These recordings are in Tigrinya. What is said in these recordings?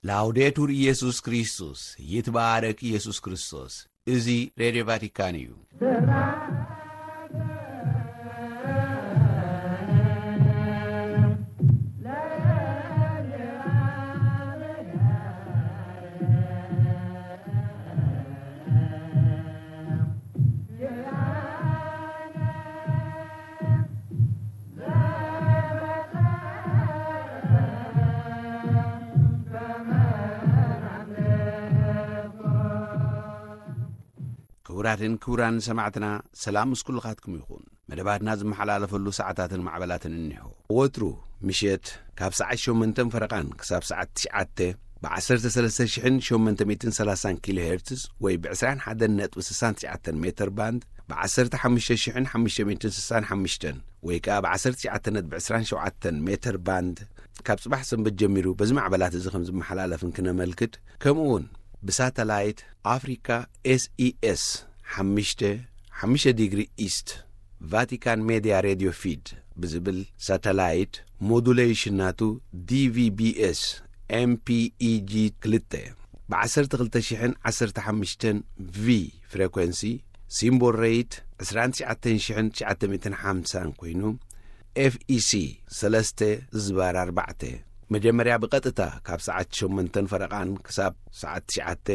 ላውዴቱር ኢየሱስ ክርስቶስ፣ ይትባረክ ኢየሱስ ክርስቶስ። እዚ ሬድዮ ቫቲካን እዩ። ክቡራትን ክቡራን ሰማዕትና፣ ሰላም ምስ ኩልኻትኩም ይኹን። መደባትና ዝመሓላለፈሉ ሰዓታትን ማዕበላትን እኒሆ። ወትሩ ምሸት ካብ ሰዓት ሸሞንተን ፈረቓን ክሳብ ሰዓት ትሽዓተ ብ ዓሰርተ ሰለስተ ሽሕን ሸሞንተ ሚእትን ሰላሳን ኪሎ ሄርትዝ ወይ ብ ዕስራን ሓደን ነጥቢ ስሳን ትሽዓተን ሜተር ባንድ፣ ብ ዓሰርተ ሓሙሽተ ሽሕን ሓሙሽተ ሚእትን ስሳን ሓሙሽተን ወይ ከኣ ብ ዓሰርተ ትሽዓተ ነጥቢ ዕስራን ሸውዓተን ሜተር ባንድ፣ ካብ ጽባሕ ሰንበት ጀሚሩ በዚ ማዕበላት እዚ ከም ዝመሓላለፍን ክነመልክት፣ ከምኡ እውን ብሳተላይት ኣፍሪካ ኤስኢኤስ ሓሙሽተ ሓሙሽተ ዲግሪ ኢስት ቫቲካን ሜድያ ሬድዮ ፊድ ብዝብል ሳተላይት ሞዱሌሽን ናቱ ዲቪቢኤስ ኤምፒኢጂ ክልተ ብ ዓሰርተ ክልተ ሽሕን ዓሰርተ ሓሙሽተን ቪ ፍሬኮንሲ፣ ሲምቦል ሬት ዕስራን ትሽዓተን ሽሕን ትሽዓተ ሚእትን ሓምሳን ኮይኑ፣ ኤፍኢሲ ሰለስተ ዝባር ኣርባዕተ፣ መጀመርያ ብቐጥታ ካብ ሰዓት ሸሞንተን ፈረቓን ክሳብ ሰዓት ትሽዓተ፣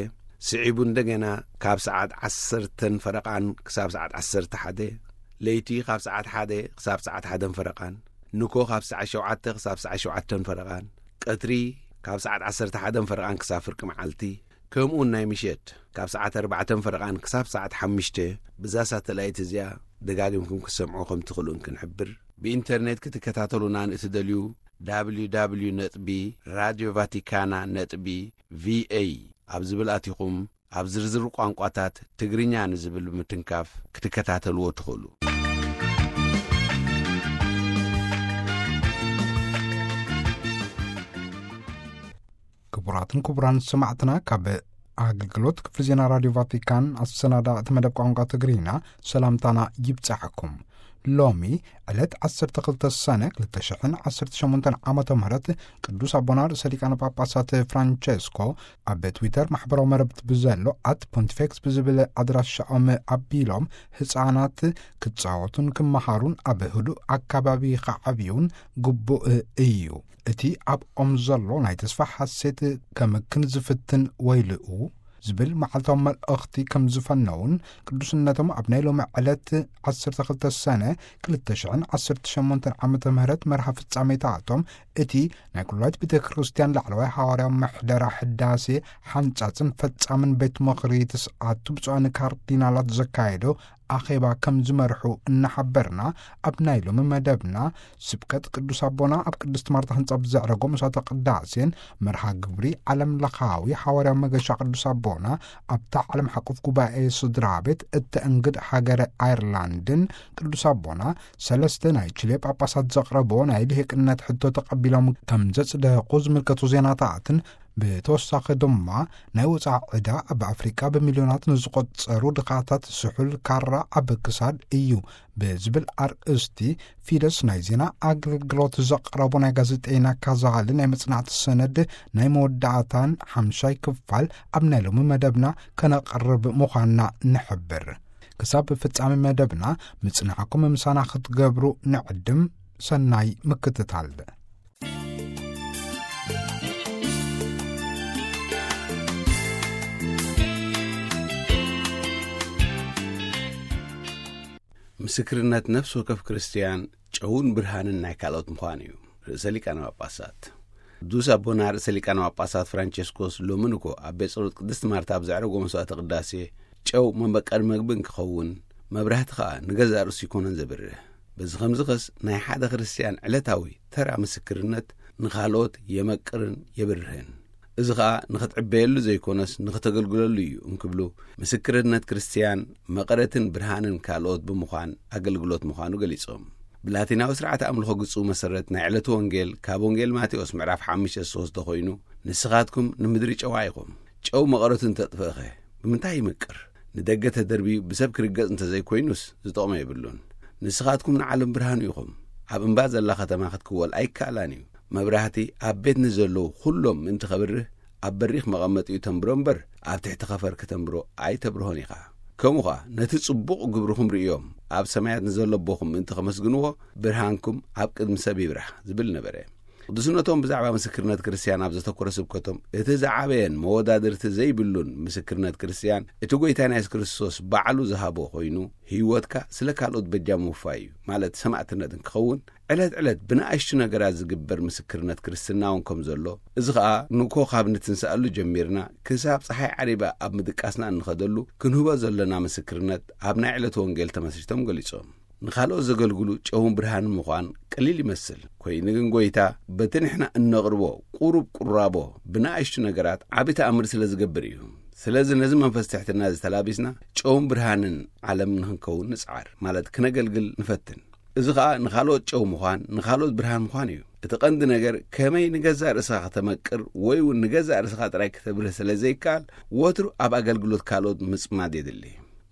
ስዒቡ እንደገና ካብ ሰዓት ዓሰርተን ፈረቓን ክሳብ ሰዓት ዓሰርተ ሓደ፣ ለይቲ ካብ ሰዓት ሓደ ክሳብ ሰዓት ሓደን ፈረቓን፣ ንኮ ካብ ሰዓት ሸውዓተ ክሳብ ሰዓት ሸውዓተን ፈረቓን፣ ቀትሪ ካብ ሰዓት ዓሰርተ ሓደን ፈረቓን ክሳብ ፍርቂ መዓልቲ፣ ከምኡውን ናይ ምሸት ካብ ሰዓት ኣርባዕተን ፈረቓን ክሳብ ሰዓት ሓሙሽተ፣ ብዛ ሳተላይት እዚኣ ደጋጊምኩም ክትሰምዑ ከም ትኽእሉን ክንሕብር። ብኢንተርኔት ክትከታተሉና ንእትደልዩ፣ www ነጥቢ ራድዮ ቫቲካና ነጥቢ ቪኤ ኣብ ዝብል ኣቲኹም፣ ኣብ ዝርዝር ቋንቋታት ትግርኛ ንዝብል ብምትንካፍ ክትከታተልዎ ትኽእሉ። ክቡራትን ክቡራን ሰማዕትና፣ ካብ ኣገልግሎት ክፍሊ ዜና ራድዮ ቫቲካን ኣሰናዳ እቲ መደብ ቋንቋ ትግርኛ ሰላምታና ይብጻሕኩም። ሎሚ ዕለት ዓሰርተ ክልተ ሰነ ክልተ ሽሕን ዓሰርተ ሸሞንተን ዓመተ ምህረት ቅዱስ ኣቦና ርእሰ ሊቃነ ጳጳሳት ፍራንቸስኮ ኣብ ትዊተር ማሕበራዊ መረብት ብዘሎ ኣት ፖንቲፌክስ ብዝብል ኣድራሻኦም ኣቢሎም ህፃናት ክፃወቱን ክመሃሩን ኣብ ህዱእ ኣካባቢ ክዓብዩን ግቡእ እዩ። እቲ ኣብኦም ዘሎ ናይ ተስፋ ሓሴት ከምክን ዝፍትን ወይልኡ ዝብል መዓልታዊ መልእኽቲ ከም ዝፈነውን ቅዱስነቶም ኣብ ናይ ሎሚ ዕለት ዓሰርተ ክልተ ሰነ ክልተ ሽሕን ዓሰርተ ሸሞንተን ዓመተ ምህረት መርሃ ፍጻሜታቶም እቲ ናይ ኩላይት ቤተ ክርስቲያን ላዕለዋይ ሓዋርያዊ ምሕደራ ሕዳሴ ሓንጻጽን ፈጻምን ቤት ምኽሪ ተስዓቱ ብፁዓን ካርዲናላት ዘካየዶ ኣኼባ ከም ዝመርሑ እናሓበርና፣ ኣብ ናይ ሎሚ መደብና ስብከት ቅዱስ ኣቦና ኣብ ቅድስት ማርታ ህንጻ ብዘዕረጎ መስዋዕተ ቅዳሴን መርሃ ግብሪ ዓለም ለኻዊ ሓዋርያዊ መገሻ ቅዱስ ኣቦና ኣብታ ዓለም ሓቁፍ ጉባኤ ስድራ ቤት እተእንግድ ሃገረ ኣየርላንድን ቅዱስ ኣቦና ሰለስተ ናይ ቺሌ ጳጳሳት ዘቕረብዎ ናይ ልሂቅነት ሕቶ ተቐቢሎም ከም ዘጽደቑ ዝምልከቱ ዜናታትን ብተወሳኺ ድማ ናይ ወፃኢ ዕዳ ኣብ ኣፍሪቃ ብሚልዮናት ንዝቆጸሩ ድኻታት ስሑል ካራ ኣብ ክሳድ እዩ ብዝብል ኣርእስቲ ፊደስ ናይ ዜና ኣገልግሎት ዘቕረቦ ናይ ጋዜጠይና ካዛሊ ናይ መጽናዕቲ ሰነድ ናይ መወዳእታን ሓምሻይ ክፋል ኣብ ናይ ሎሚ መደብና ከነቕርብ ምዃንና ንሕብር። ክሳብ ፍጻሜ መደብና ምጽናዕኩም ምሳና ክትገብሩ ንዕድም። ሰናይ ምክትታል። ምስክርነት ነፍሲ ወከፍ ክርስትያን ጨውን ብርሃንን ናይ ካልኦት ምዃን እዩ። ርእሰ ሊቃነ ጳጳሳት ቅዱስ ኣቦና ርእሰ ሊቃነ ጳጳሳት ፍራንቸስኮስ ሎሚ ንኮ ኣብ ቤት ጸሎት ቅድስት ማርታ ኣብ ዘዕረጎ መስዋዕተ ቅዳሴ ጨው መመቀሪ መግቢ እንክኸውን መብራህቲ ኸኣ ንገዛእ ርእሱ ይኮነን ዘብርህ። በዚ ኸምዚ ኸስ ናይ ሓደ ክርስትያን ዕለታዊ ተራ ምስክርነት ንኻልኦት የመቅርን የብርህን። እዚ ኸኣ ንኽትዕበየሉ ዘይኮነስ ንኽተገልግለሉ እዩ እንክብሉ ምስክርነት ክርስትያን መቐረትን ብርሃንን ካልኦት ብምዃን ኣገልግሎት ምዃኑ ገሊጾም። ብላቲናዊ ስርዓተ ኣምልኾ ግጹ መሰረት ናይ ዕለቱ ወንጌል ካብ ወንጌል ማቴዎስ ምዕራፍ ሓሙሽተ ሶስተ ኮይኑ፣ ንስኻትኩም ንምድሪ ጨዋ ኢኹም። ጨው መቐረቱ እንተጥፍእኸ ብምንታይ ይመቅር? ንደገ ተደርብዩ ብሰብ ክርገጽ እንተዘይኮይኑስ ዝጠቕሞ የብሉን። ንስኻትኩም ንዓለም ብርሃኑ ኢኹም። ኣብ እምባ ዘላ ከተማ ክትክወል ኣይከኣላን እዩ። መብራህቲ ኣብ ቤት ንዘለዉ ኩሎም ምእንቲ ከብርህ ኣብ በሪኽ መቐመጢኡ ተንብሮ እምበር፣ ኣብ ትሕቲ ኸፈር ከተንብሮ ኣይተብርሆን ኢኻ። ከምኡ ኸኣ፣ ነቲ ጽቡቕ ግብርኹም ርእዮም፣ ኣብ ሰማያት ንዘሎ ኣቦኹም ምእንቲ ኸመስግንዎ፣ ብርሃንኩም ኣብ ቅድሚ ሰብ ይብራህ ዝብል ነበረ። ቅዱስነቶም ብዛዕባ ምስክርነት ክርስትያን ኣብ ዘተኮረ ስብከቶም፣ እቲ ዝዓበየን መወዳድርቲ ዘይብሉን ምስክርነት ክርስትያን፣ እቲ ጐይታና የሱስ ክርስቶስ ባዕሉ ዝሃቦ ኮይኑ፣ ህይወትካ ስለ ካልኦት በጃ ምውፋይ እዩ፣ ማለት ሰማእትነት እንክኸውን፣ ዕለት ዕለት ብንኣሽቱ ነገራት ዝግበር ምስክርነት ክርስትና እውን ከም ዘሎ፣ እዚ ኸኣ ንኮ ካብ ንትንስኣሉ ጀሚርና፣ ክሳብ ጸሓይ ዓሪባ ኣብ ምድቃስና እንኸደሉ፣ ክንህቦ ዘለና ምስክርነት ኣብ ናይ ዕለት ወንጌል ተመስሪቶም ገሊጾም። ንኻልኦት ዘገልግሉ ጨውን ብርሃንን ምዃን ቀሊል ይመስል። ኮይኑ ግን ጐይታ በቲ ንሕና እነቕርቦ ቁሩብ ቁራቦ ብንኣሽቱ ነገራት ዓቢ ተኣምር ስለ ዝገብር እዩ። ስለዚ ነዚ መንፈስ ትሕትና እዚ ተላቢስና ጨውን ብርሃንን ዓለም ንኽንከውን ንጽዓር፣ ማለት ክነገልግል ንፈትን። እዚ ኸኣ ንኻልኦት ጨው ምዃን፣ ንኻልኦት ብርሃን ምዃን እዩ። እቲ ቀንዲ ነገር ከመይ ንገዛእ ርእስኻ ከተመቅር ወይ እውን ንገዛእ ርእስኻ ጥራይ ከተብርህ ስለ ዘይከኣል፣ ወትሩ ኣብ ኣገልግሎት ካልኦት ምጽማድ የድሊ።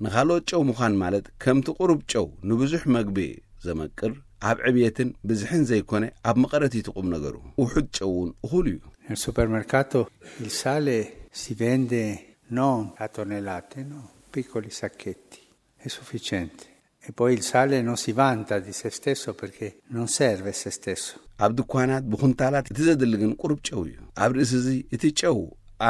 ንኻልኦት ጨው ምዃን ማለት ከምቲ ቁሩብ ጨው ንብዙሕ መግቢ ዘመቅር፣ ኣብ ዕብየትን ብዝሕን ዘይኮነ ኣብ መቐረት እቲ ቁም ነገሩ። ውሑድ ጨው እውን እኹል እዩ። Nel supermercato il sale si vende non a tonnellate, no, piccoli sacchetti, è sufficiente. E poi il sale non si vanta di se stesso perché non serve se stesso. ኣብ ድኳናት ብኹንታላት እቲ ዘድሊ ግን ቁሩብ ጨው እዩ። ኣብ ርእሲ እዚ እቲ ጨው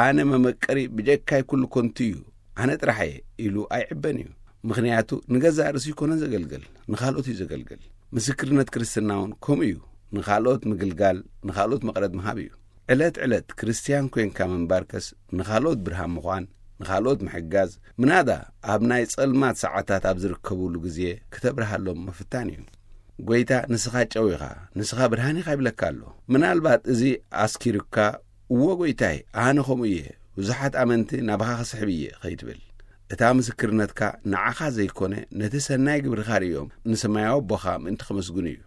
ኣነ መመቀሪ ብጀካይ ኩሉ ኮንቱ እዩ፣ ኣነ ጥራሕ እየ ኢሉ ኣይዕበን እዩ። ምኽንያቱ ንገዛእ ርእሱ ይኮነን ዘገልግል፣ ንኻልኦት እዩ ዘገልግል። ምስክርነት ክርስትና እውን ከምኡ እዩ። ንኻልኦት ምግልጋል፣ ንኻልኦት መቐረት ምሃብ እዩ። ዕለት ዕለት ክርስትያን ኮይንካ ምንባርከስ ንኻልኦት ብርሃን ምዃን፣ ንኻልኦት ምሕጋዝ፣ ምናዳ ኣብ ናይ ጸልማት ሰዓታት ኣብ ዝርከብሉ ግዜ ክተብርሃሎም ምፍታን እዩ። ጐይታ ንስኻ ጨው ኢኻ፣ ንስኻ ብርሃን ኢኻ ይብለካ ኣሎ። ምናልባት እዚ ኣስኪሩካ፣ እወ ጐይታይ፣ ኣነ ከምኡ እየ፣ ብዙሓት ኣመንቲ ናባኻ ክስሕብ እየ ኸይትብል። እታ ምስክርነትካ ንዓኻ ዘይኮነ ነቲ ሰናይ ግብርኻ ርእዮም ንሰማያዊ ኣቦኻ ምእንቲ ከመስግኑ እዩ።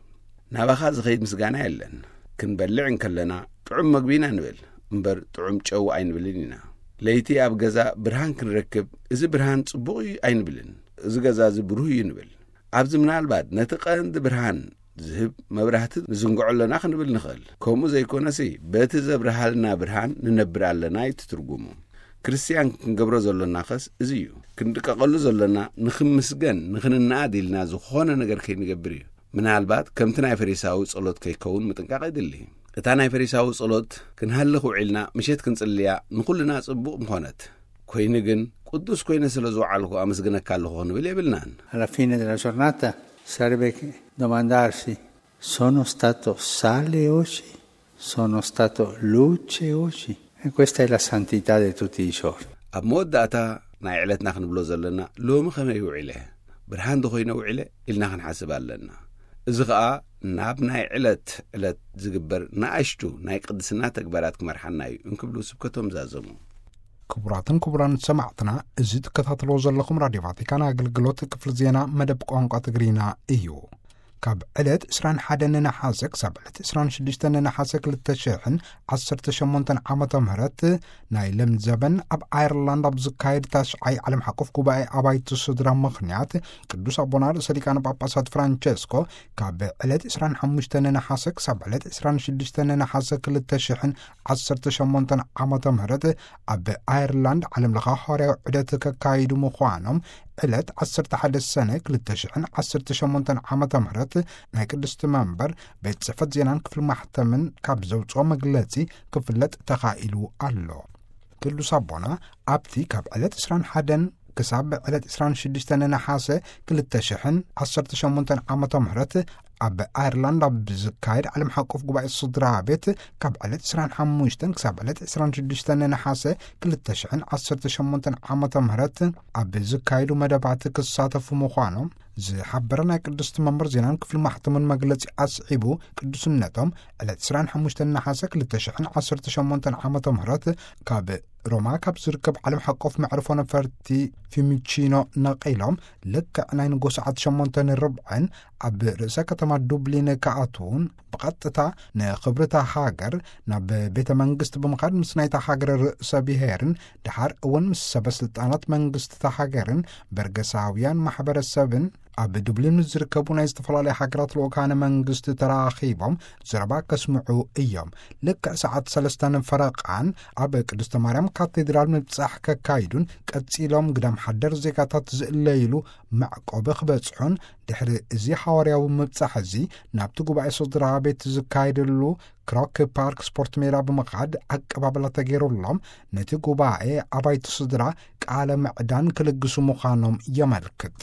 ናባኻ ዝኸይድ ምስጋና የለን። ክንበልዕ እንከለና ጥዑም መግቢ ኢና ንብል እምበር ጥዑም ጨው ኣይንብልን ኢና። ለይቲ ኣብ ገዛ ብርሃን ክንረክብ እዚ ብርሃን ጽቡቕ እዩ ኣይንብልን። እዚ ገዛ እዚ ብሩህ እዩ ንብል። ኣብዚ ምናልባት ነቲ ቀንዲ ብርሃን ዝህብ መብራህቲ ንዝንግዖ ኣለና ክንብል ንኽእል። ከምኡ ዘይኮነሲ በቲ ዘብርሃልና ብርሃን ንነብር ኣለና እዩ እቲ ትርጉሙ። ክርስትያን ክንገብሮ ዘሎና ኸስ እዚ እዩ። ክንድቀቐሉ ዘሎና ንኽምስገን ንኽንነኣድ ኢልና ዝኾነ ነገር ከይንገብር እዩ። ምናልባት ከምቲ ናይ ፈሪሳዊ ጸሎት ከይከውን ምጥንቃቕ የድሊ። እታ ናይ ፈሪሳዊ ጸሎት ክንሃልኽ ውዒልና ምሸት ክንጽልያ ንኹልና ጽቡቕ ምኾነት። ኮይኑ ግን ቅዱስ ኮይነ ስለ ዝወዓልኩ ኣመስግነካ ኣለኹ ክንብል የብልናን። Alla fine della giornata sarebbe che domandarsi: sono stato sale oggi? Sono stato luce oggi? E questa è la santità di tutti i giorni. ኣብ መወዳእታ ናይ ዕለትና ክንብሎ ዘለና ሎሚ ከመይ ውዒለ፣ ብርሃን ዶ ኮይነ ውዒለ ኢልና ክንሓስብ ኣለና። እዚ ኸኣ ናብ ናይ ዕለት ዕለት ዝግበር ንኣሽቱ ናይ ቅድስና ተግባራት ክመርሓና እዩ እንክብሉ ስብከቶም ዛዘሙ። ክቡራትን ክቡራን ሰማዕትና፣ እዚ ትከታተልዎ ዘለኹም ራድዮ ቫቲካን ኣገልግሎት ክፍሊ ዜና መደብ ቋንቋ ትግርኛ እዩ። ካብ ዕለት ዕስራን ሓደን ነሓሰ ክሳብ ዕለት ዕስራን ሽዱሽተን ነሓሰ ክልተ ሽሕን ዓሰርተ ሸሞንተን ዓመተ ምህረት ናይ ለምዘበን ኣብ ኣየርላንድ ኣብ ዝካየድ ታሽዓይ ዓለም ሓቆፍ ጉባኤ ኣባይቲ ስድራ ምኽንያት ቅዱስ ኣቦና ርእሰ ሊቃነ ጳጳሳት ፍራንቸስኮ ካብ ዕለት ዕስራን ሓሙሽተን ነሓሰ ክሳብ ዕለት ዕስራን ሽዱሽተን ነሓሰ ክልተ ሽሕን ዓሰርተ ሸሞንተን ዓመተ ምህረት ኣብ ኣየርላንድ ዓለም ለኸ ሃዋርያዊ ዑደት ከካይዱ ምዃኖም ዕለት ዓሰርተ ሓደ ሰነ ክልተ ሽሕን ዓሰርተ ሸሞንተን ዓመተ ምህረት ናይ ቅድስቲ መንበር ቤት ጽሕፈት ዜናን ክፍሊ ማሕተምን ካብ ዘውጽኦ መግለጺ ክፍለጥ ተኻኢሉ ኣሎ። ቅዱስ ኣቦና ኣብቲ ካብ ዕለት ዕስራን ሓደን ክሳብ ዕለት ዕስራን ሽዱሽተን ነሓሰ ክልተ ሽሕን ዓሰርተ ሸሞንተን ዓመተ ምህረት ኣብ ኣየርላንድ ኣብ ዝካየድ ዓለም ሓቆፍ ጉባኤ ስድራ ቤት ካብ ዕለት ዕስራን ሓሙሽተን ክሳብ ዕለት ዕስራን ሽዱሽተን ነሓሰ ክልተ ሽሕን ዓሰርተ ሸሞንተን ዓመተ ምህረት ኣብ ዝካየዱ መደባት ክሳተፉ ምዃኖም ዝሓበረ ናይ ቅድስቲ መንበር ዜናን ክፍሊ ማሕተምን መግለጺ ኣስዒቡ፣ ቅዱስነቶም ዕለት ዕስራን ሓሙሽተን ነሓሰ ክልተ ሽሕን ዓሰርተ ሸሞንተን ዓመተ ምህረት ካብ ሮማ ካብ ዝርከብ ዓለም ሓቆፍ መዕርፎ ነፈርቲ ፊሚቺኖ ነቒሎም ልክዕ ናይ ንጎ ሰዓት ሸሞንተን ርብዕን ኣብ ርእሰ ከተማ ዱብሊን ክኣትዉን ብቐጥታ ንኽብርታ ሃገር ናብ ቤተ መንግስቲ ብምኻድ ምስ ናይታ ሃገር ርእሰ ብሔርን ድሓር እውን ምስ ሰበ ስልጣናት መንግስቲ እታ ሃገርን በርገሳውያን ማሕበረሰብን ኣብ ዱብሊን ምስ ዝርከቡ ናይ ዝተፈላለዩ ሃገራት ልኡካነ መንግስቲ ተራኺቦም ዘረባ ከስምዑ እዮም። ልክዕ ሰዓት ሰለስተን ፈረቓን ኣብ ቅድስተ ማርያም ካቴድራል ምብጻሕ ከካይዱን ቀጺሎም ግዳም ሓደር ዜጋታት ዝእለይሉ መዕቆቢ ክበጽሑን፣ ድሕሪ እዚ ሃዋርያዊ ምብጻሕ እዚ ናብቲ ጉባኤ ስድራ ቤት ዝካየደሉ ክሮክ ፓርክ ስፖርት ሜዳ ብምኻድ ኣቀባብላ ተገይሩሎም፣ ነቲ ጉባኤ ኣባይቲ ስድራ ቃለ ምዕዳን ክልግሱ ምዃኖም የመልክት።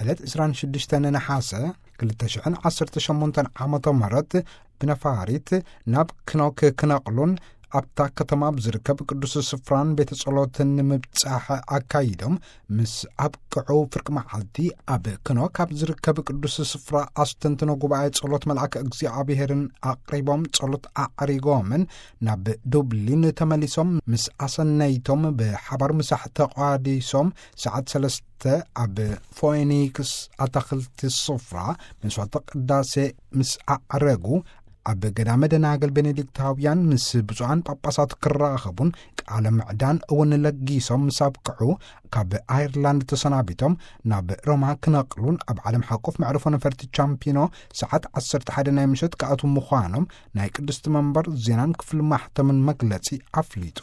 ዕለት ዕስራን ሽዱሽተን ነሓሰ ክልተ ሽሕን ዓሰርተ ሸሞንተን ዓመተ ምህረት ብነፋሪት ናብ ክኖክ ክነቕሉን ኣብታ ከተማ ብዝርከብ ቅዱስ ስፍራን ቤተ ጸሎትን ንምብጻሕ ኣካይዶም ምስ ኣብቅዑ፣ ፍርቂ መዓልቲ ኣብ ክኖክ ኣብ ዝርከብ ቅዱስ ስፍራ ኣስተንትኖ ጉባኤ ጸሎት መልኣከ እግዚኣብሔርን ኣቕሪቦም ጸሎት ኣዕሪጎምን ናብ ዱብሊን ተመሊሶም ምስ ኣሰነይቶም ብሓባር ምሳሕ ተቋዲሶም ሰዓት ሰለስተ ኣብ ፎኒክስ ኣታኽልቲ ስፍራ መስዋዕተ ቅዳሴ ምስ ኣዕረጉ፣ ኣብ ገዳመ ደናግል ቤኔዲክታውያን ምስ ብፁዓን ጳጳሳት ክራኸቡን ቃለ ምዕዳን እውን ለጊሶም ምስ ኣብቅዑ፣ ካብ ኣየርላንድ ተሰናቢቶም ናብ ሮማ ክነቕሉን ኣብ ዓለም ሓቆፍ መዕርፎ ነፈርቲ ቻምፒኖ ሰዓት ዓሰርተ ሓደ ናይ ምሸት ክኣትዉ ምዃኖም ናይ ቅድስቲ መንበር ዜናን ክፍሊ ማሕተምን መግለጺ ኣፍሊጡ።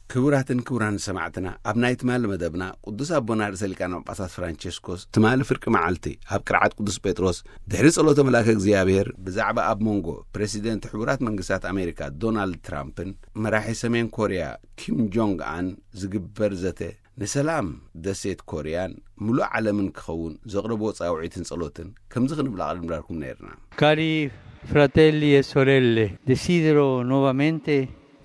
ክቡራትን ክቡራን ሰማዕትና፣ ኣብ ናይ ትማሊ መደብና ቅዱስ ኣቦና ርእሰ ሊቃነ ጳጳሳት ፍራንቸስኮስ ትማሊ ፍርቂ መዓልቲ ኣብ ቅርዓት ቅዱስ ጴጥሮስ ድሕሪ ጸሎተ መልኣከ እግዚኣብሔር ብዛዕባ ኣብ መንጎ ፕሬሲደንት ሕቡራት መንግስታት ኣሜሪካ ዶናልድ ትራምፕን መራሒ ሰሜን ኮርያ ኪም ጆንግ ኣን ዝግበር ዘተ ንሰላም ደሴት ኮርያን ምሉእ ዓለምን ክኸውን ዘቕረብዎ ጻውዒትን ጸሎትን ከምዚ ክንብል ኣቕሪብናልኩም ነይርና። Cari fratelli e sorelle, desidero nuovamente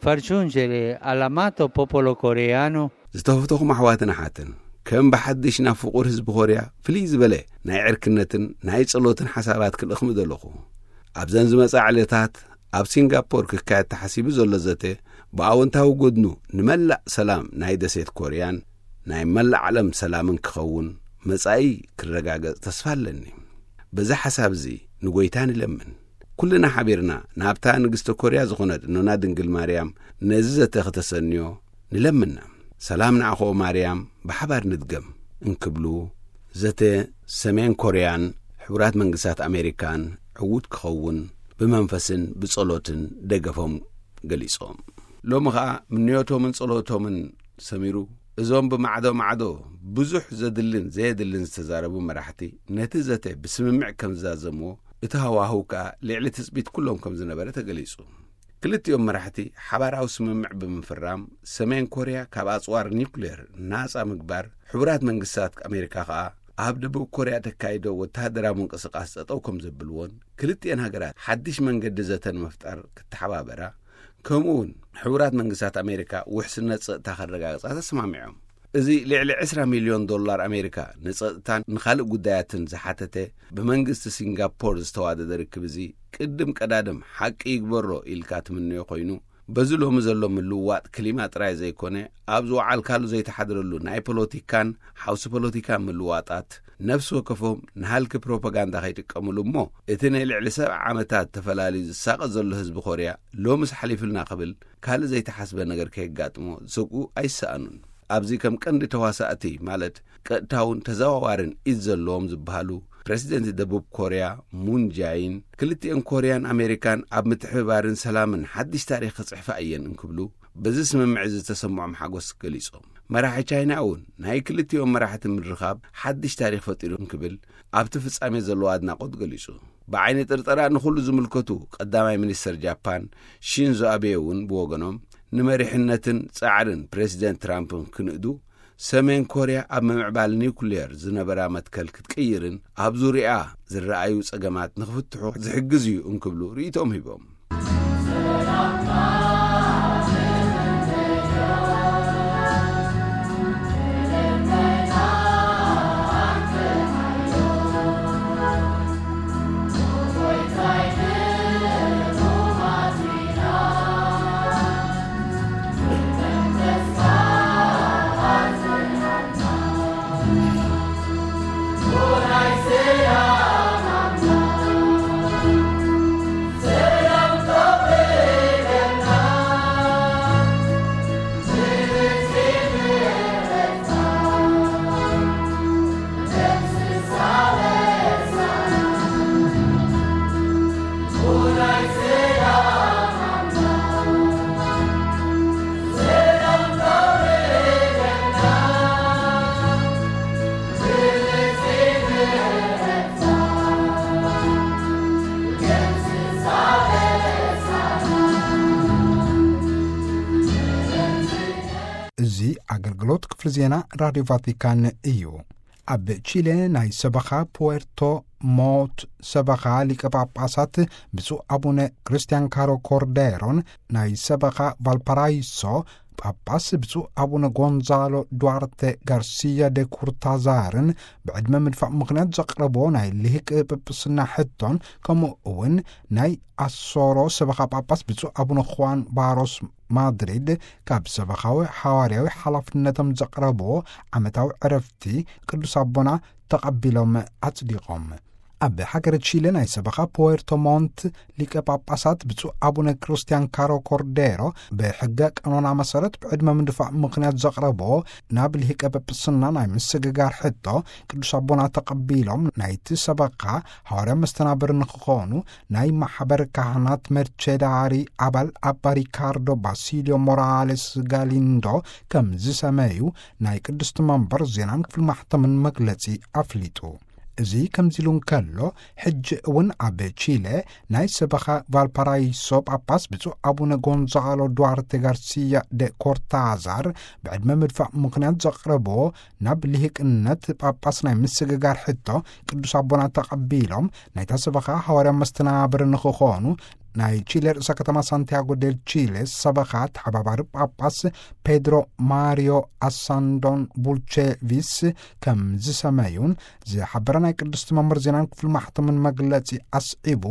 far giungere all'amato popolo coreano ዝተፈተኹም ኣሕዋትን ኣሓትን፣ ከም ብሓድሽ ናብ ፍቑር ህዝቢ ኮርያ ፍልይ ዝበለ ናይ ዕርክነትን ናይ ጸሎትን ሓሳባት ክልእኽ ምደለኹ። ኣብዘን ዝመጻ ዕለታት ኣብ ሲንጋፖር ክካየድ ተሓሲቡ ዘሎ ዘተ ብኣወንታዊ ጎድኑ ንመላእ ሰላም ናይ ደሴት ኮርያን ናይ መላእ ዓለም ሰላምን ክኸውን፣ መጻኢ ክረጋገጽ ተስፋ ኣለኒ። በዚ ሓሳብ እዚ ንጎይታ ንለምን። ኩልና ሓቢርና ናብታ ንግስተ ኮርያ ዝኾነት እኖና ድንግል ማርያም ነዚ ዘተ ከተሰንዮ ንለምና። ሰላም ንዓኾ ማርያም ብሓባር ንድገም እንክብሉ፣ ዘተ ሰሜን ኮርያን ሕቡራት መንግስታት ኣሜሪካን ዕዉት ክኸውን ብመንፈስን ብጸሎትን ደገፎም ገሊጾም። ሎሚ ኸኣ ምንዮቶምን ጸሎቶምን ሰሚሩ፣ እዞም ብማዕዶ ማዕዶ ብዙሕ ዘድልን ዘየድልን ዝተዛረቡ መራሕቲ ነቲ ዘተ ብስምምዕ ከም ዝዛዘምዎ፣ እቲ ሃዋህው ከኣ ልዕሊ ትጽቢት ኩሎም ከም ዝነበረ ተገሊጹ። ክልቲኦም መራሕቲ ሓባራዊ ስምምዕ ብምፍራም፣ ሰሜን ኮርያ ካብ ኣጽዋር ኒውክሌር ናጻ ምግባር፣ ሕቡራት መንግስታት ኣሜሪካ ከኣ ኣብ ደቡብ ኮርያ ተካይዶ ወተሃደራዊ ምንቅስቓስ ጠጠው ከም ዘብልዎን፣ ክልቲኤን ሃገራት ሓድሽ መንገዲ ዘተ ንምፍጣር ክተሓባበራ፣ ከምኡ እውን ሕቡራት መንግስታት ኣሜሪካ ውሕስነት ጸጥታ ከረጋግጻ ተሰማሚዖም። እዚ ልዕሊ ዕስራ ሚልዮን ዶላር ኣሜሪካ ንጸጥታን ንኻልእ ጉዳያትን ዝሓተተ ብመንግስቲ ሲንጋፖር ዝተዋደደ ርክብ እዚ ቅድም ቀዳድም ሓቂ ይግበሮ ኢልካ ትምነዮ ኮይኑ፣ በዚ ሎሚ ዘሎ ምልውዋጥ ክሊማ ጥራይ ዘይኮነ፣ ኣብ ዝወዓልካሉ ዘይተሓድረሉ ናይ ፖለቲካን ሓውሲ ፖለቲካን ምልውዋጣት፣ ነፍሲ ወከፎም ንሃልኪ ፕሮፓጋንዳ ከይጥቀምሉ እሞ፣ እቲ ናይ ልዕሊ ሰብዓ ዓመታት ተፈላልዩ ዝሳቐ ዘሎ ህዝቢ ኮርያ ሎምስ ሓሊፉልና ክብል ካልእ ዘይተሓስበ ነገር ከየጋጥሞ ዝሰግኡ ኣይሰኣኑን። ኣብዚ ከም ቀንዲ ተዋሳእቲ፣ ማለት ቀጥታውን ተዘዋዋርን ኢድ ዘለዎም ዝበሃሉ ፕረሲደንት ደቡብ ኮርያ ሙን ጃይን፣ ክልቲኤን ኮርያን ኣሜሪካን ኣብ ምትሕብባርን ሰላምን ሓድሽ ታሪኽ ክጽሕፋ እየን እንክብሉ፣ በዚ ስምምዕ እዚ ዝተሰምዖም ሓጎስ ገሊጾም። መራሒ ቻይና እውን ናይ ክልቲኦም መራሕቲ ምርኻብ ሓድሽ ታሪኽ ፈጢሩ እንክብል ኣብቲ ፍጻሜ ዘለዎ ኣድናቖት ገሊጹ። ብዓይኒ ጥርጠራ ንኹሉ ዝምልከቱ ቀዳማይ ሚኒስተር ጃፓን ሺንዞ ኣቤ እውን ብወገኖም፣ ንመሪሕነትን ጻዕርን ፕረሲደንት ትራምፕን ክንእዱ፣ ሰሜን ኮርያ ኣብ ምምዕባል ኒውክሌር ዝነበራ መትከል ክትቅይርን ኣብ ዙርያኣ ዝረኣዩ ጸገማት ንኽፍትሑ ዝሕግዝ እዩ እንክብሉ ርእይቶም ሂቦም። ኣገልግሎት ክፍሊ ዜና ራድዮ ቫቲካን እዩ። ኣብ ቺሌ ናይ ሰበኻ ፑዌርቶ ሞንት ሰበኻ ሊቀ ጳጳሳት ብፁዕ ኣቡነ ክርስቲያን ካሮ ኮርዴሮን ናይ ሰበኻ ቫልፓራይሶ ጳጳስ ብፁዕ ኣቡነ ጎንዛሎ ዱዋርቴ ጋርሲያ ደ ኩርታዛርን ብዕድመ ምድፋእ ምኽንያት ዘቕረብዎ ናይ ልሂቅ ጵጵስና ሕቶን፣ ከምኡ እውን ናይ ኣሶሮ ሰበኻ ጳጳስ ብፁዕ ኣቡነ ኹዋን ባሮስ ማድሪድ ካብ ሰበኻዊ ሓዋርያዊ ሓላፍነቶም ዘቕረብዎ ዓመታዊ ዕረፍቲ ቅዱስ ኣቦና ተቐቢሎም ኣጽዲቖም። ኣብ ሃገረ ቺለ ናይ ሰበኻ ፖዌርቶ ሞንት ሊቀ ጳጳሳት ብፁዕ ኣቡነ ክርስቲያን ካሮ ኮርዴሮ ብሕገ ቀኖና መሰረት ብዕድመ ምድፋእ ምኽንያት ዘቕረብዎ ናብ ልሂቀ ጵጵስና ናይ ምስግጋር ሕቶ ቅዱስ ኣቦና ተቐቢሎም ናይቲ ሰበኻ ሃዋርያ መስተናብር ንክኾኑ ናይ ማሕበር ካህናት መርቸዳሪ ኣባል ኣባ ሪካርዶ ባሲልዮ ሞራሌስ ጋሊንዶ ከም ዝሰመዩ ናይ ቅድስቲ መንበር ዜናን ክፍል ማሕተምን መግለጺ ኣፍሊጡ። እዚ ከምዚ ኢሉ እንከሎ፣ ሕጂ እውን ኣብ ቺለ ናይ ሰበኻ ቫልፓራይሶ ጳጳስ ብፁዕ ኣቡነ ጎንዛሎ ዱዋርቴ ጋርሲያ ደ ኮርታዛር ብዕድመ ምድፋእ ምኽንያት ዘቕረብዎ ናብ ልሂቅነት ጳጳስ ናይ ምስግጋር ሕቶ ቅዱስ ኣቦና ተቐቢሎም ናይታ ሰበኻ ሃዋርያ መስተናብር ንክኾኑ ናይ ቺለ ርእሰ ከተማ ሳንቲያጎ ዴል ቺለ ሰበኻ ተሓባባሪ ጳጳስ ፔድሮ ማሪዮ ኣሳንዶን ቡልቼቪስ ከም ዝሰመዩን ዝሓበረ ናይ ቅድስቲ መምህር ዜናን ክፍሊ ማሕተምን መግለጺ ኣስዒቡ፣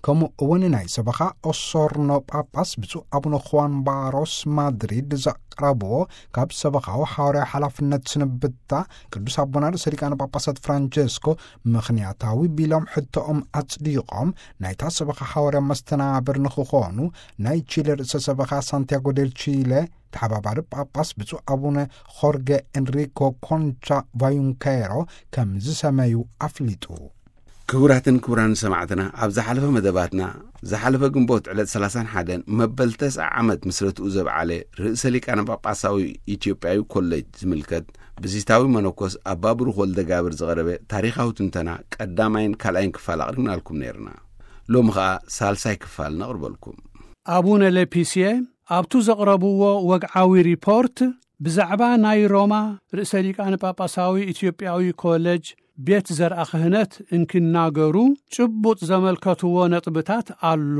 ከምኡ እውን ናይ ሰበኻ ኦሶርኖ ጳጳስ ብፁዕ ኣቡነ ኹዋን ባሮስ ማድሪድ ዘቕረብዎ ካብ ሰበኻዊ ሓዋርያዊ ሓላፍነት ስንብታ ቅዱስ ኣቦና ርእሰ ሊቃነ ጳጳሳት ፍራንቸስኮ ምኽንያታዊ ቢሎም ሕቶኦም ኣጽዲቖም ናይታ ሰበኻ ሓዋርያ መስተናብር ንክኾኑ ናይ ቺለ ርእሰ ሰበኻ ሳንቲያጎ ዴል ቺለ ተሓባባሪ ጳጳስ ብፁዕ ኣቡነ ኾርገ ኤንሪኮ ኮንቻ ቫዩንኬሮ ከም ዝሰመዩ ኣፍሊጡ። ክቡራትን ክቡራን ሰማዕትና፣ ኣብ ዝሓለፈ መደባትና፣ ዝሓለፈ ግንቦት ዕለት ሰላሳን ሓደን መበል ተስዓ ዓመት ምስረትኡ ዘብዓለ ርእሰ ሊቃነ ጳጳሳዊ ኢትዮጵያዊ ኮሌጅ ዝምልከት ብዚታዊ መነኮስ ኣባ ብሩኽ ወልደ ጋብር ዝቐረበ ታሪኻዊ ትንተና ቀዳማይን ካልኣይን ክፋል ኣቕሪብናልኩም ነይርና። ሎሚ ኸኣ ሳልሳይ ክፋል ነቕርበልኩም። ኣቡነ ሌፒስየ ኣብቱ ዘቕረብዎ ወግዓዊ ሪፖርት ብዛዕባ ናይ ሮማ ርእሰ ሊቃነ ጳጳሳዊ ኢትዮጵያዊ ኮሌጅ ቤት ዘርኣ ክህነት እንክናገሩ ጭቡጥ ዘመልከትዎ ነጥብታት ኣሎ።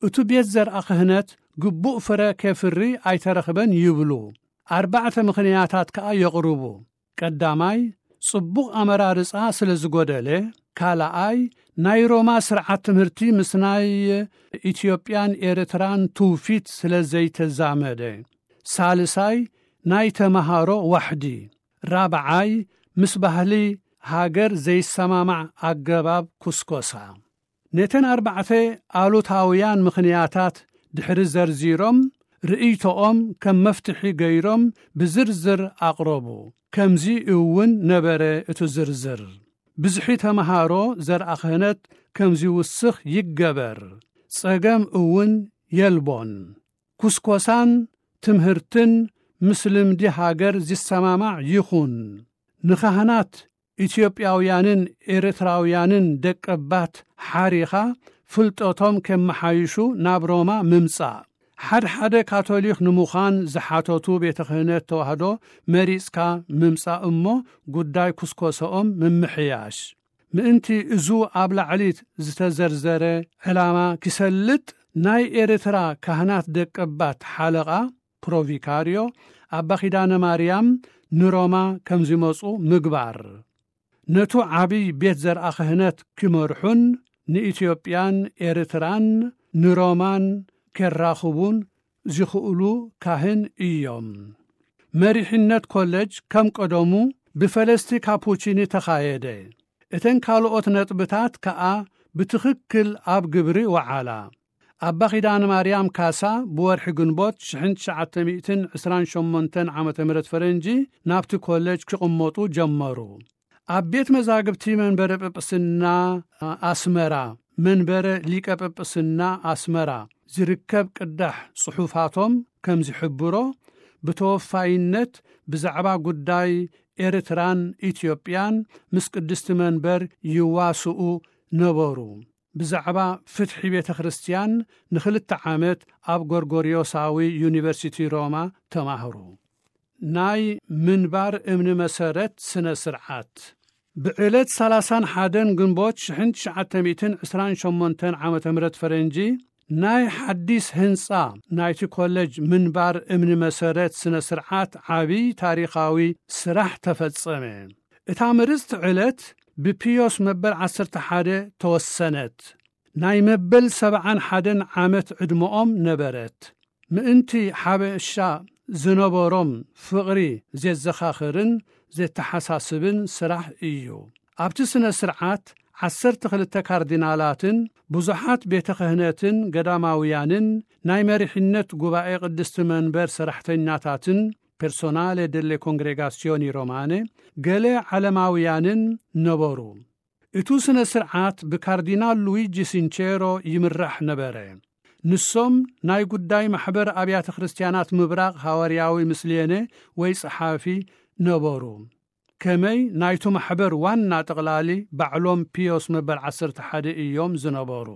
እቱ ቤት ዘርኣ ክህነት ግቡእ ፍረ ኬፍሪ ኣይተረኽበን ይብሉ። ኣርባዕተ ምኽንያታት ከኣ የቕርቡ። ቀዳማይ፣ ጽቡቕ ኣመራርጻ ስለ ዝጎደለ፣ ካልኣይ፣ ናይ ሮማ ስርዓት ትምህርቲ ምስ ናይ ኢትዮጵያን ኤርትራን ትውፊት ስለ ዘይተዛመደ፣ ሳልሳይ፣ ናይ ተመሃሮ ዋሕዲ፣ ራብዓይ፣ ምስ ባህሊ ሃገር ዘይሰማማዕ ኣገባብ ኩስኮሳ። ነተን ኣርባዕተ ኣሉታውያን ምኽንያታት ድሕሪ ዘርዚሮም፣ ርእይቶኦም ከም መፍትሒ ገይሮም ብዝርዝር ኣቕረቡ። ከምዚ እውን ነበረ እቲ ዝርዝር። ብዝሒ ተመሃሮ ዘርኣ ክህነት ከም ዝውስኽ ይገበር። ጸገም እውን የልቦን። ኩስኮሳን ትምህርትን ምስ ልምዲ ሃገር ዝሰማማዕ ይኹን። ንካህናት ኢትዮጵያውያንን ኤርትራውያንን ደቀባት ሓሪኻ ፍልጠቶም ከመሓይሹ ናብ ሮማ ምምጻእ። ሓድሓደ ካቶሊኽ ንምዃን ዝሓተቱ ቤተ ክህነት ተዋህዶ መሪጽካ ምምጻእ እሞ ጉዳይ ኩስኮሰኦም ምምሕያሽ። ምእንቲ እዙ ኣብ ላዕሊት ዝተዘርዘረ ዕላማ ክሰልጥ ናይ ኤርትራ ካህናት ደቀባት ሓለቓ ፕሮቪካርዮ ኣባ ኪዳነ ማርያም ንሮማ ከም ዝመጹ ምግባር። ነቱ ዓብይ ቤት ዘርኣ ክህነት ክመርሑን ንኢትዮጵያን ኤርትራን ንሮማን ኬራኽቡን ዝኽእሉ ካህን እዮም። መሪሕነት ኮለጅ ከም ቀደሙ ብፈለስቲ ካፑቺኒ ተኻየደ። እተን ካልኦት ነጥብታት ከኣ ብትኽክል ኣብ ግብሪ ወዓላ። ኣባ ኪዳነ ማርያም ካሳ ብወርሒ ግንቦት ሽሕን ትሽዓተ ሚእትን ዕስራን ሸሞንተን ዓመተ ምህረት ፈረንጂ ናብቲ ኮለጅ ክቕመጡ ጀመሩ። ኣብ ቤት መዛግብቲ መንበረ ጵጵስና ኣስመራ፣ መንበረ ሊቀ ጵጵስና ኣስመራ ዝርከብ ቅዳሕ ጽሑፋቶም ከም ዝሕብሮ፣ ብተወፋይነት ብዛዕባ ጉዳይ ኤርትራን ኢትዮጵያን ምስ ቅድስቲ መንበር ይዋስኡ ነበሩ። ብዛዕባ ፍትሒ ቤተ ክርስቲያን ንኽልተ ዓመት ኣብ ጎርጎርዮሳዊ ዩኒቨርሲቲ ሮማ ተማህሩ። ናይ ምንባር እምኒ መሰረት ስነ ስርዓት። ብዕለት ሰላሳን ሓደን ግንቦት ሽሕን ትሽዓተ ሚእትን ዕስራን ሸሞንተን ዓመተ ምህረት ፈረንጂ፣ ናይ ሓዲስ ህንጻ ናይቲ ኮለጅ ምንባር እምኒ መሰረት ስነ ስርዓት ዓቢ ታሪኻዊ ስራሕ ተፈጸመ። እታ ምርጽቲ ዕለት ብፒዮስ መበል ዓሰርተ ሓደ ተወሰነት። ናይ መበል ሰብዓን ሓደን ዓመት ዕድመኦም ነበረት። ምእንቲ ሓበሻ ዝነበሮም ፍቕሪ ዜዘኻኽርን ዜተሓሳስብን ስራሕ እዩ። ኣብቲ ስነ ስርዓት ዓሰርተ ክልተ ካርዲናላትን ብዙሓት ቤተ ክህነትን ገዳማውያንን ናይ መሪሕነት ጉባኤ ቅድስቲ መንበር ሰራሕተኛታትን፣ ፐርሶናሌ ደሌ ኮንግሬጋሲዮኒ ሮማነ፣ ገለ ዓለማውያንን ነበሩ። እቱ ስነ ስርዓት ብካርዲናል ሉዊጂ ሲንቼሮ ይምራሕ ነበረ። ንሶም ናይ ጉዳይ ማሕበር ኣብያተ ክርስቲያናት ምብራቕ ሃዋርያዊ ምስሌነ ወይ ጸሓፊ ነበሩ። ከመይ ናይቱ ማሕበር ዋና ጠቕላሊ ባዕሎም ፒዮስ መበል ዓሰርተ ሓደ እዮም ዝነበሩ።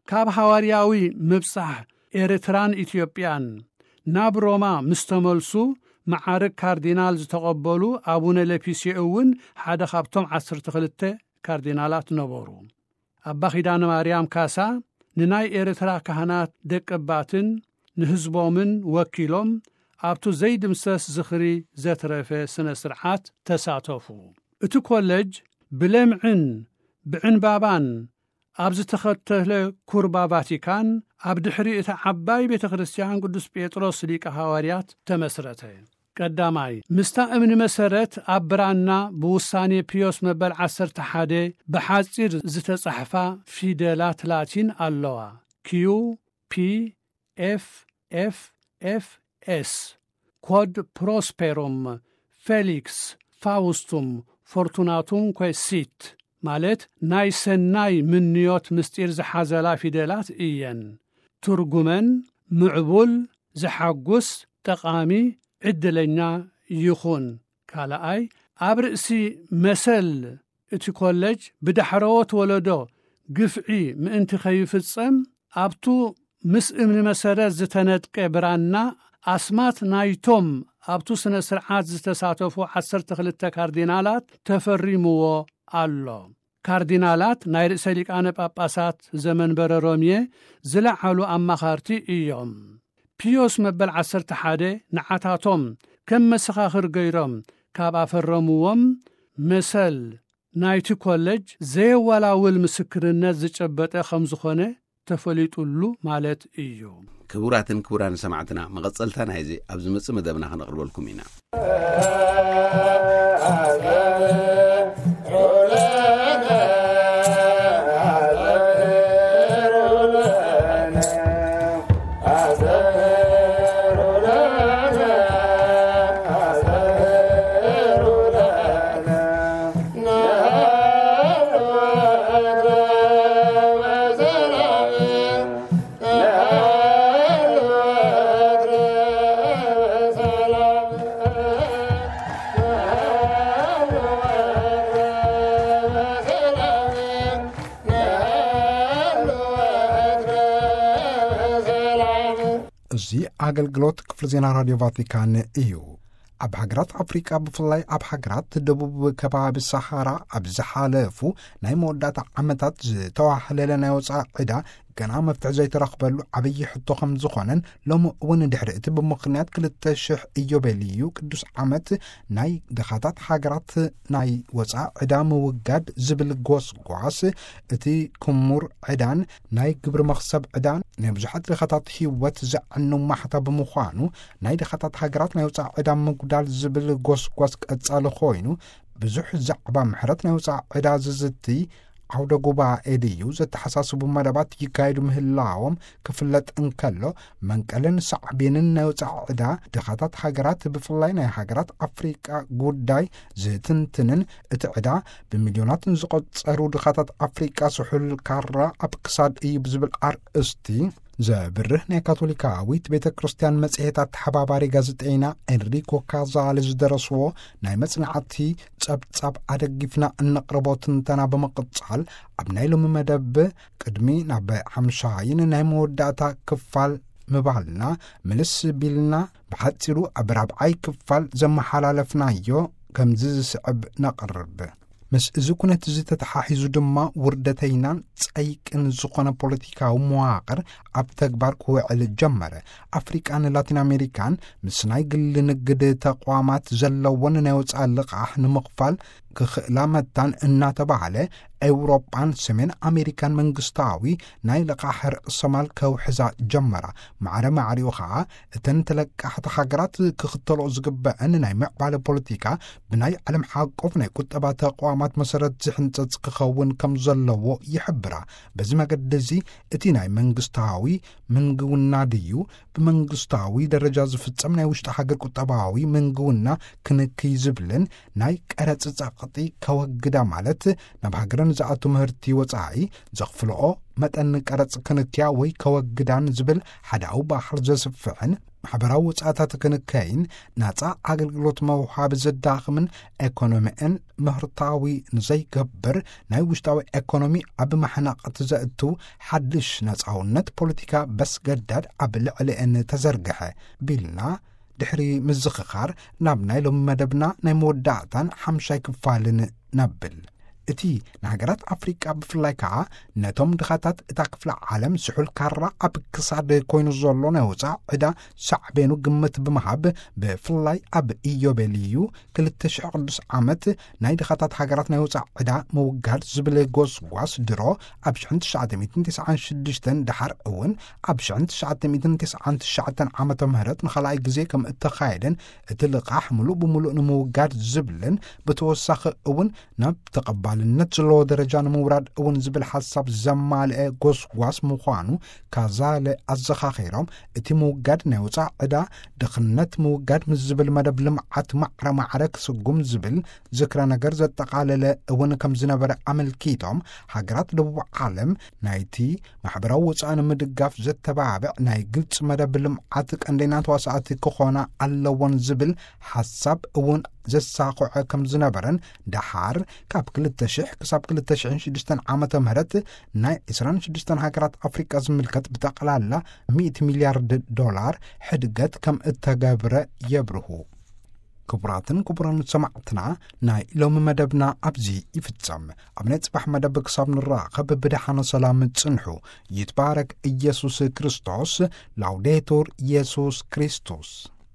ካብ ሃዋርያዊ ምብጻሕ ኤርትራን ኢትዮጵያን ናብ ሮማ ምስ ተመልሱ፣ መዓርግ ካርዲናል ዝተቐበሉ ኣቡነ ለፒስዮ እውን ሓደ ካብቶም ዓሰርተ ክልተ ካርዲናላት ነበሩ። ኣባ ኪዳነ ማርያም ካሳ ንናይ ኤርትራ ካህናት ደቀባትን ንህዝቦምን ወኪሎም ኣብቱ ዘይድምሰስ ዝኽሪ ዘትረፈ ስነ ስርዓት ተሳተፉ። እቲ ኮለጅ ብለምዕን ብዕንባባን ኣብ ዝተኸተለ ኩርባ ቫቲካን ኣብ ድሕሪ እታ ዓባይ ቤተ ክርስቲያን ቅዱስ ጴጥሮስ ሊቀ ሃዋርያት ተመስረተ። ቀዳማይ፣ ምስታ እምኒ መሰረት ኣብ ብራና ብውሳኔ ፒዮስ መበል ዓሰርተ ሓደ ብሓጺር ዝተጻሕፋ ፊደላት ላቲን ኣለዋ። ኪዩ ፒ ኤፍ ኤፍ ኤፍ ኤስ፣ ኮድ ፕሮስፔሩም፣ ፌሊክስ፣ ፋውስቱም፣ ፎርቱናቱም፣ ኮሲት፣ ማለት ናይ ሰናይ ምንዮት ምስጢር ዝሓዘላ ፊደላት እየን። ትርጉመን ምዕቡል፣ ዘሓጉስ፣ ጠቓሚ፣ ዕድለኛ ይኹን። ካልኣይ፣ ኣብ ርእሲ መሰል እቲ ኮለጅ ብዳሕረዎት ወለዶ ግፍዒ ምእንቲ ከይፍጸም፣ ኣብቱ ምስ እምኒ መሰረት ዝተነድቀ ብራና ኣስማት ናይቶም ኣብቱ ስነ ስርዓት ዝተሳተፉ ዓሰርተ ክልተ ካርዲናላት ተፈሪምዎ ኣሎ። ካርዲናላት ናይ ርእሰ ሊቃነ ጳጳሳት ዘመንበረ ሮምየ ዝለዓሉ ኣማኻርቲ እዮም። ፒዮስ መበል ዓሰርተ ሓደ ንዓታቶም ከም መሰኻኽር ገይሮም ካብ ኣፈረምዎም፣ መሰል ናይቲ ኮለጅ ዘየወላውል ምስክርነት ዝጨበጠ ከም ዝኾነ ተፈሊጡሉ ማለት እዩ። ክቡራትን ክቡራን ሰማዕትና፣ መቐጸልታ ናይዚ ኣብ ዝመጽእ መደብና ከነቕርበልኩም ኢና። እዚ ኣገልግሎት ክፍሊ ዜና ራድዮ ቫቲካን እዩ። ኣብ ሃገራት ኣፍሪቃ፣ ብፍላይ ኣብ ሃገራት ደቡብ ከባቢ ሰሃራ፣ ኣብ ዝሓለፉ ናይ መወዳእታ ዓመታት ዝተዋህለለ ናይ ወጻኢ ዕዳ ገና መፍትሒ ዘይተረኽበሉ ዓብዪ ሕቶ ከም ዝኾነን፣ ሎሚ እውን ድሕሪ እቲ ብምኽንያት ክልተ ሽሕ ኢዮቤልዩ ቅዱስ ዓመት ናይ ድኻታት ሃገራት ናይ ወጻኢ ዕዳ ምውጋድ ዝብል ጎስጓስ፣ እቲ ክሙር ዕዳን ናይ ግብሪ መኽሰብ ዕዳን ናይ ብዙሓት ድኻታት ህይወት ዘዕንው ማሕታ ብምዃኑ፣ ናይ ድኻታት ሃገራት ናይ ወጻኢ ዕዳ ምጉዳል ዝብል ጎስጓስ ቀጻሊ ኮይኑ፣ ብዙሕ ዛዕባ ምሕረት ናይ ወጻኢ ዕዳ ዝዝቲ ዓውደ ጉባኤ ድዩ ዘተሓሳስቡ መደባት ይካየዱ ምህላዎም ክፍለጥ እንከሎ፣ መንቀልን ሳዕቤንን ናይ ወጻኢ ዕዳ ድኻታት ሃገራት፣ ብፍላይ ናይ ሃገራት ኣፍሪቃ ጉዳይ ዝትንትንን፣ እቲ ዕዳ ብሚልዮናትን ዝቆጸሩ ድኻታት ኣፍሪቃ ስሑል ካራ ኣብ ክሳድ እዩ ብዝብል ኣርእስቲ ዘብርህ ናይ ካቶሊካዊት ቤተ ክርስቲያን መጽሔት ኣተሓባባሪ ጋዜጠይና ኤንሪኮ ካዛሊ ዝደረስዎ ናይ መጽናዕቲ ጸብጻብ ኣደጊፍና እነቕርቦ ትንተና ብምቕጻል፣ ኣብ ናይ ሎሚ መደብ ቅድሚ ናብ ሓምሻይን ናይ መወዳእታ ክፋል ምባልና፣ ምልስ ቢልና ብሓጺሩ ኣብ ራብዓይ ክፋል ዘመሓላለፍናዮ ከምዚ ዝስዕብ ነቕርብ። ምስ እዚ ኩነት እዚ ተተሓሒዙ ድማ፣ ውርደተይናን ጸይቅን ዝኾነ ፖለቲካዊ መዋቕር ኣብ ተግባር ክውዕል ጀመረ። ኣፍሪቃን ላቲን ኣሜሪካን ምስ ናይ ግል ንግድ ተቋማት ዘለወን ናይ ወጻኢ ልቓሕ ንምኽፋል ክኽእላ መታን እናተባህለ፣ ኤውሮጳን ሰሜን ኣሜሪካን መንግስታዊ ናይ ልቓሕ ርእሰማል ከውሕዛ ጀመራ። ማዕረ ማዕሪኡ ኸኣ፣ እተን ተለቃሕቲ ሃገራት ክኽተልኦ ዝግበአን ናይ ምዕባለ ፖለቲካ፣ ብናይ ዓለም ሓቆፍ ናይ ቁጠባ ተቋማት መሰረት ዝሕንጸጽ ክኸውን ከም ዘለዎ ይሕብራ። በዚ መገዲ እዚ፣ እቲ ናይ መንግስታዊ ምንግውና ድዩ፣ ብመንግስታዊ ደረጃ ዝፍጸም ናይ ውሽጢ ሃገር ቁጠባዊ ምንግውና ክንክይ ዝብልን፣ ናይ ቀረጽ ጸቕጢ ከወግዳ፣ ማለት ናብ ሃገረን ዝኣቱ ምህርቲ ወጻኢ ዘኽፍልኦ መጠን ቀረጽ ክንክያ ወይ ከወግዳን ዝብል ሓዳዊ ባህር ዘስፍሕን፣ ማሕበራዊ ወጻእታት ክንከይን፣ ናጻ ኣገልግሎት መውሃቢ ዘዳኽምን፣ ኤኮኖሚእን ምህርታዊ ንዘይገብር ናይ ውሽጣዊ ኤኮኖሚ ኣብ ማሕናቕቲ ዘእቱ ሓድሽ ነጻውነት ፖለቲካ በስገዳድ ኣብ ልዕሊአን ተዘርግሐ ቢልና፣ ድሕሪ ምዝኽኻር ናብ ናይ ሎሚ መደብና ናይ መወዳእታን ሓምሻይ ክፋልን ነብል። እቲ ንሃገራት ኣፍሪቃ ብፍላይ ከኣ ነቶም ድኻታት እታ ክፍለ ዓለም ስሑል ካራ ኣብ ክሳድ ኮይኑ ዘሎ ናይ ወጻኢ ዕዳ ሳዕቤኑ ግምት ብምሃብ፣ ብፍላይ ኣብ ኢዮቤልዩ ክልተ ሽሕ ቅዱስ ዓመት ናይ ድኻታት ሃገራት ናይ ወጻኢ ዕዳ ምውጋድ ዝብል ጎስጓስ ድሮ ኣብ ሽሕን ትሽዓተ ሚእትን ተስዓን ሽዱሽተን፣ ደሓር እውን ኣብ ሽሕን ትሽዓተ ሚእትን ተስዓን ትሽዓተን ዓመተ ምህረት ንኻልኣይ ግዜ ከም እተኻየደን፣ እቲ ልቓሕ ምሉእ ብምሉእ ንምውጋድ ዝብልን፣ ብተወሳኺ እውን ናብ ተቐባልነት ዘለዎ ደረጃ ንምውራድ እውን ዝብል ሓሳብ ዘማልአ ጎስጓስ ምዃኑ ካዛለ ኣዘኻኺሮም፣ እቲ ምውጋድ ናይ ወጻኢ ዕዳ፣ ድኽነት ምውጋድ ምስ ዝብል መደብ ልምዓት ማዕረ ማዕረ ክስጉም ዝብል ዝክረ ነገር ዘጠቓለለ እውን ከም ዝነበረ ኣመልኪቶም፣ ሃገራት ደቡብ ዓለም ናይቲ ማሕበራዊ ወጻኢ ንምድጋፍ ዘተባብዕ ናይ ግልጺ መደብ ልምዓት ቀንደኛ ተዋሳእቲ ክኾና ኣለዎን ዝብል ሓሳብ እውን ዘሳኹዐ ከም ዝነበረን፣ ደሓር ካብ ክልተ ሽሕ ክሳብ ክልተ ሽሕን ሽዱሽተን ዓመተ ምህረት ናይ ዕስራን ሽዱሽተን ሃገራት ኣፍሪቃ ዝምልከት ብጠቕላላ ሚእቲ ሚልያርድ ዶላር ሕድገት ከም እተገብረ የብርሁ። ክቡራትን ክቡራን ሰማዕትና፣ ናይ ሎሚ መደብና ኣብዚ ይፍጸም። ኣብ ናይ ጽባሕ መደብ ክሳብ ንራኸብ ብደሓነ ሰላም ጽንሑ። ይትባረክ ኢየሱስ ክርስቶስ። ላውዴቱር ኢየሱስ ክርስቶስ።